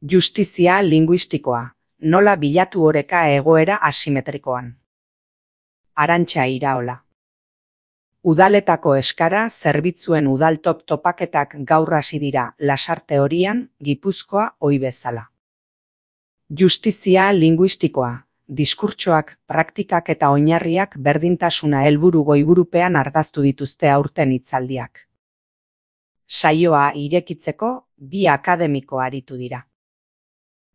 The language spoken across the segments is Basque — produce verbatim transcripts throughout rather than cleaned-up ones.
Justizia linguistikoa, nola bilatu oreka egoera asimetrikoan. Arantxa Iraola. Udaletako eskara zerbitzuen udal top topaketak gaur hasi dira Lasarte Horian, Gipuzkoa ohi bezala. Justizia linguistikoa, diskurtsoak, praktikak eta oinarriak berdintasuna helburu goiburupean ardaztu dituzte aurten hitzaldiak. Saioa irekitzeko bi akademiko aritu dira.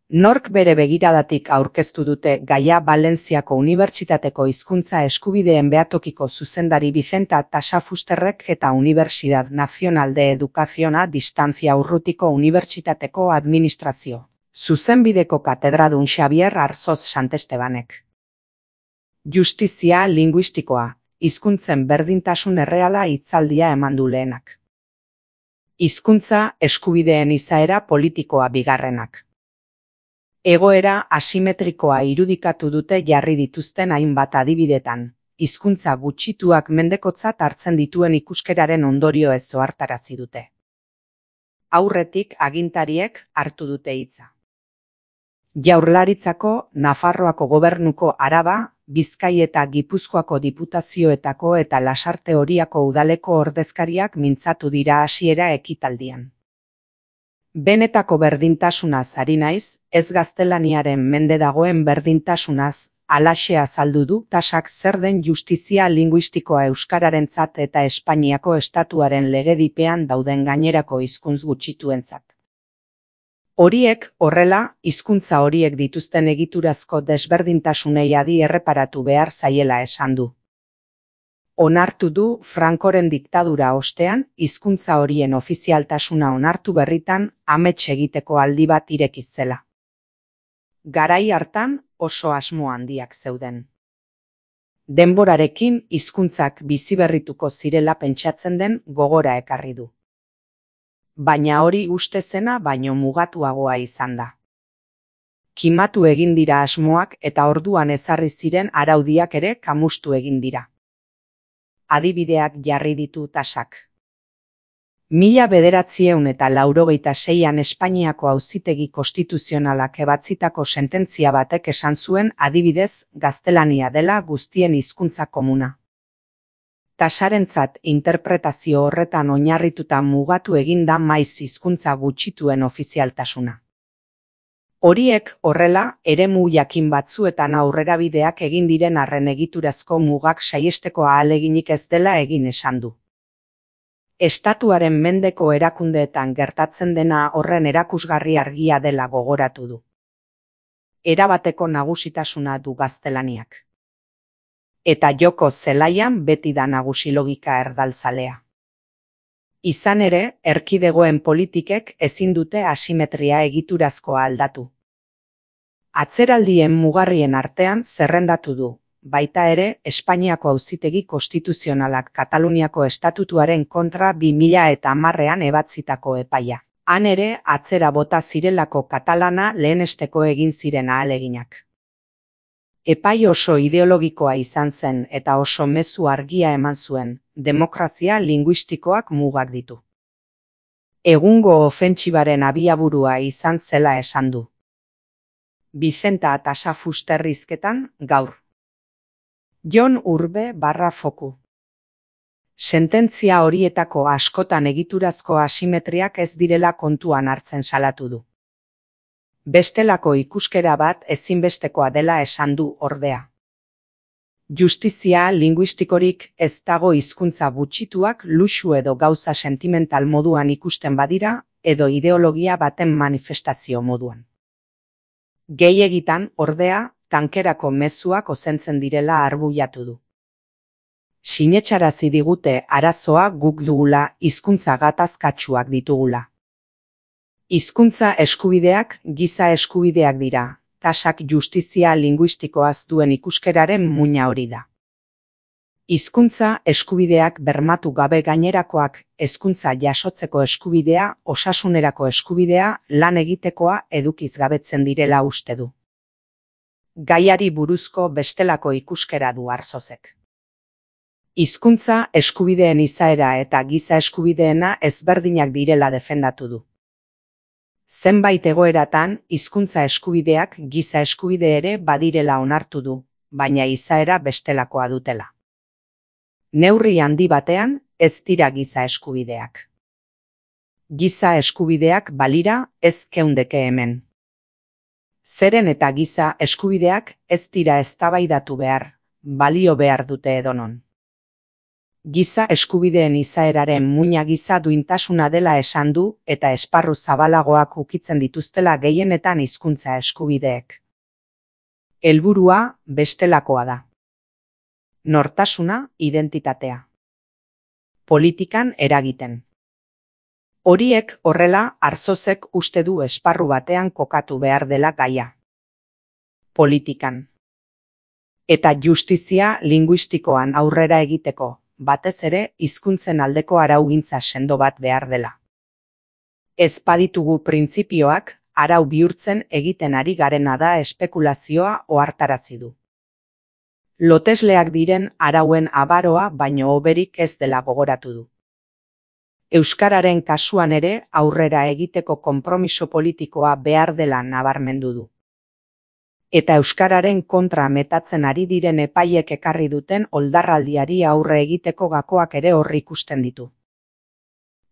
Nork bere begiradatik aurkeztu dute gaia Valentziako Unibertsitateko hizkuntza eskubideen behatokiko zuzendari Vicenta Tasafusterrek eta Universidad Nacional de Educación a Distancia Urrutiko Unibertsitateko Administrazio Zuzenbideko katedradun Xavier Arzoz Santestebanek. Justizia linguistikoa, hizkuntzen berdintasun erreala hitzaldia eman du lehenak. Hizkuntza eskubideen izaera politikoa bigarrenak. Egoera asimetrikoa irudikatu dute jarri dituzten hainbat adibidetan, hizkuntza gutxituak mendekotzat hartzen dituen ikuskeraren ondorioez ohartarazi dute. Aurretik agintariek hartu dute hitza. Jaurlaritzako, Nafarroako Gobernuko Araba, Bizkai eta Gipuzkoako diputazioetako eta Lasarte Horiako udaleko ordezkariak mintzatu dira hasiera ekitaldian. Benetako berdintasunaz ari naiz, ez gaztelaniaren mende dagoen berdintasunaz, halaxe azaldu du Tasak zer den justizia linguistikoa euskararentzat eta Espainiako estatuaren legedipean dauden gainerako hizkuntz gutxituentzat. Horiek, horrela, hizkuntza horiek dituzten egiturazko desberdintasunei adi erreparatu behar zaiela esan du. Onartu du Francoren diktadura ostean, hizkuntza horien ofizialtasuna onartu berritan, amets egiteko aldi bat irekitzela. Garai hartan oso asmo handiak zeuden. Denborarekin hizkuntzak biziberrituko zirela pentsatzen den gogora ekarri du. Baina hori uste zena baino mugatuagoa izan da. Kimatu egin dira asmoak eta orduan ezarri ziren araudiak ere kamustu egin dira. Adibideak jarri ditu Tasak. Mila bederatziehun eta laurogeita seian Espainiako Auzitegi Konstituzionalak ebatzitako sententzia batek esan zuen adibidez gaztelania dela guztien hizkuntza komuna. Tasarentzat interpretazio horretan oinarrituta mugatu egin da maiz hizkuntza gutxituen ofizialtasuna. Horiek horrela, eremu jakin batzuetan aurrerabideak egin diren arren egiturazko mugak saihesteko ahaleginik ez dela egin esan du. Estatuaren mendeko erakundeetan gertatzen dena horren erakusgarri argia dela gogoratu du. Erabateko nagusitasuna du gaztelaniak. Eta joko zelaian beti da nagusi logika erdaltzalea. Izan ere, erkidegoen politikek ezin dute asimetria egiturazkoa aldatu. Atzeraldien mugarrien artean zerrendatu du, baita ere Espainiako Auzitegi Konstituzionalak Kataluniako estatutuaren kontra bi mila eta hamarrean ebatzitako epaia. Han ere atzera bota zirelako katalana lehenesteko egin ziren ahaleginak. Epai oso ideologikoa izan zen eta oso mezu argia eman zuen, demokrazia linguistikoak mugak ditu. Egungo ofentsibaren abiaburua izan zela esan du. Vicenta Tasafuster hizketan, gaur. Jon Urbe barra foku. Sententzia horietako askotan egiturazko asimetriak ez direla kontuan hartzen salatu du. Bestelako ikuskera bat ezinbestekoa dela esan du ordea. Justizia linguistikorik ez dago hizkuntza gutxituak luxu edo gauza sentimental moduan ikusten badira edo ideologia baten manifestazio moduan. Gehiegitan, ordea, tankerako mezuak ozentzen direla arbuiatu du. Sinetsarazi digute arazoa guk dugula hizkuntza gatazkatsuak ditugula. Hizkuntza eskubideak giza eskubideak dira, Tasak justizia linguistikoaz duen ikuskeraren muina hori da. Hizkuntza eskubideak bermatu gabe gainerakoak, hezkuntza jasotzeko eskubidea, osasunerako eskubidea, lan egitekoa edukiz gabetzen direla uste du. Gaiari buruzko bestelako ikuskera du Arzozek. Hizkuntza eskubideen izaera eta giza eskubideena ezberdinak direla defendatu du. Zenbait egoeratan, hizkuntza eskubideak giza eskubide ere badirela onartu du, baina izaera bestelakoa dutela. Neurri handi batean, ez dira giza eskubideak. Giza eskubideak balira, ez geundeke hemen. Zeren eta giza eskubideak ez dira eztabaidatu behar, balio behar dute edonon. Giza eskubideen izaeraren muina giza duintasuna dela esan du eta esparru zabalagoak ukitzen dituztela gehienetan hizkuntza eskubideek. Helburua bestelakoa da. Nortasuna, identitatea. Politikan eragiten. Horiek horrela Arzozek uste du esparru batean kokatu behar dela gaia. Politikan. Eta justizia linguistikoan aurrera egiteko, batez ere hizkuntzen aldeko araugintza sendo bat behar dela. Ez baditugu printzipioak, arau bihurtzen egiten ari garena da espekulazioa ohartarazi du. Lotesleak diren arauen abaroa baino hoberik ez dela gogoratu du. Euskararen kasuan ere aurrera egiteko konpromiso politikoa behar dela nabarmendu du. Eta euskararen kontra metatzen ari diren epaiek ekarri duten oldarraldiari aurre egiteko gakoak ere hor ikusten ditu.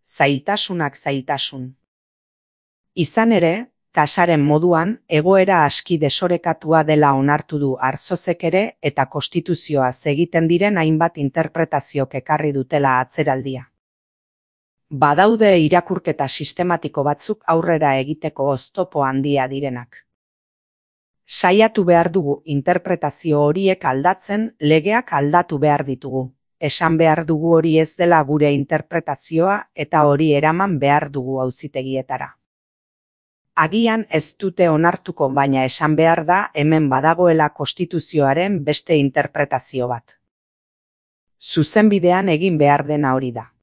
Zailtasunak zailtasun. Izan ere, tasaren moduan, egoera aski desorekatua dela onartu du Arzozek ere eta konstituzioaz egiten diren hainbat interpretaziok ekarri dutela atzeraldia. Badaude irakurketa sistematiko batzuk aurrera egiteko oztopo handia direnak. Saiatu behar dugu interpretazio horiek aldatzen, legeak aldatu behar ditugu. Esan behar dugu hori ez dela gure interpretazioa eta hori eraman behar dugu auzitegietara. Agian ez dute onartuko baina esan behar da hemen badagoela konstituzioaren beste interpretazio bat. Zuzenbidean egin behar dena hori da.